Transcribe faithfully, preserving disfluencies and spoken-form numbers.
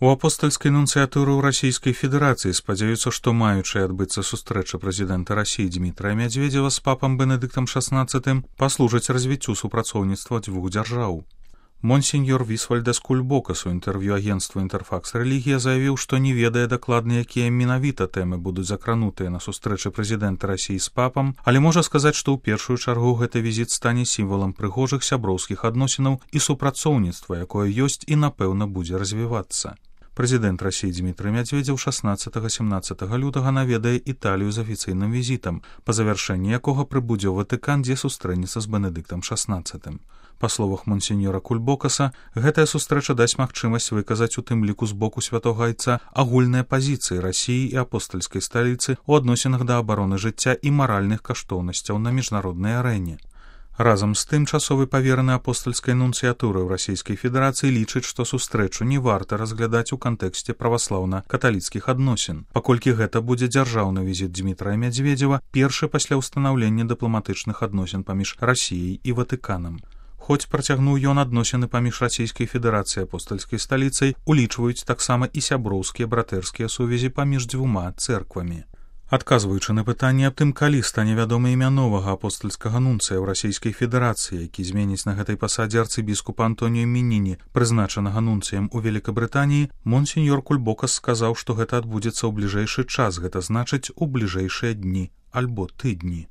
У апостальскай нунцыятуры ў Расійскай Федэрацыі спадзяюцца, што маючая адбыцца сустрэча прэзідэнта Расіі Дмітрая Мядзведзева з папам Бенедыктам шаснаццатым паслужыць развіццю супрацоўніцтва дзвюх дзяржаў. Монсеньор Вісвальдас Кульбокас у інтэрв'ю агенцтву «Інтэрфакс Рэлігія» заявіў, што не ведае дакладна, якія менавіта тэмы будуць закранутыя на сустрэчы прэзідэнта Расіі з папам, але можа сказаць, што ў першую чаргу гэты візіт стане сімвалам прыгожых сяброўскіх адносінаў і супрацоўніцтва, якое ёсць і, напэўна, будзе развівацца. Прэзідэнт Расіі Дмітрый Мядзведзеў шаснаццатага-сямнаццатага лютага наведае Італію з афіцыйным візітам, па завяршэнні якога прыбудзе ў Ватыкан, дзе сустрэнецца з Бенедыктам шаснаццатым. Па словах монсеньора Кульбокаса, гэтая сустрэча дасць магчымасць выказаць у тым ліку з боку святога айца агульныя пазіцыі Расіі і апостальскай сталіцы ў адносінах да абароны жыцця і маральных каштоўнасцяў на міжнароднай арэне. Разам з тым, часовы павераны апостальскай нунцыятуры ў Расійскай Федэрацыі лічыць, што сустрэчу не варта разглядаць у кантэксце праваслаўна-каталіцкіх адносін, паколькі гэта будзе дзяржаўны візіт Дмітрая Мядзведзева, першы пасля ўстанаўлення дыпламатычных адносін паміж Расіяй і Ватыканам. Хоць працягнуў ён адносіны паміж Расійскай Федэрацыяй і апостальскай сталіцай, улічваюць таксама і сяброўскія братэрскія сувязі паміж дзвюма цэрквамі. Адказваючы на пытанне аб тым, калі стане вядома імя новага апостальскага нунцыя ў Расійскай Федэрацыі, які зменіць на гэтай пасадзе арцыбіскупа Антоніо Мініні, прызначанага нунцыем у Великабрытаніі, монсеньор Кульбокас сказаў, што гэта адбудзецца ў бліжэйшы час, гэта значыць у бліжэйшыя дні альбо тыдні.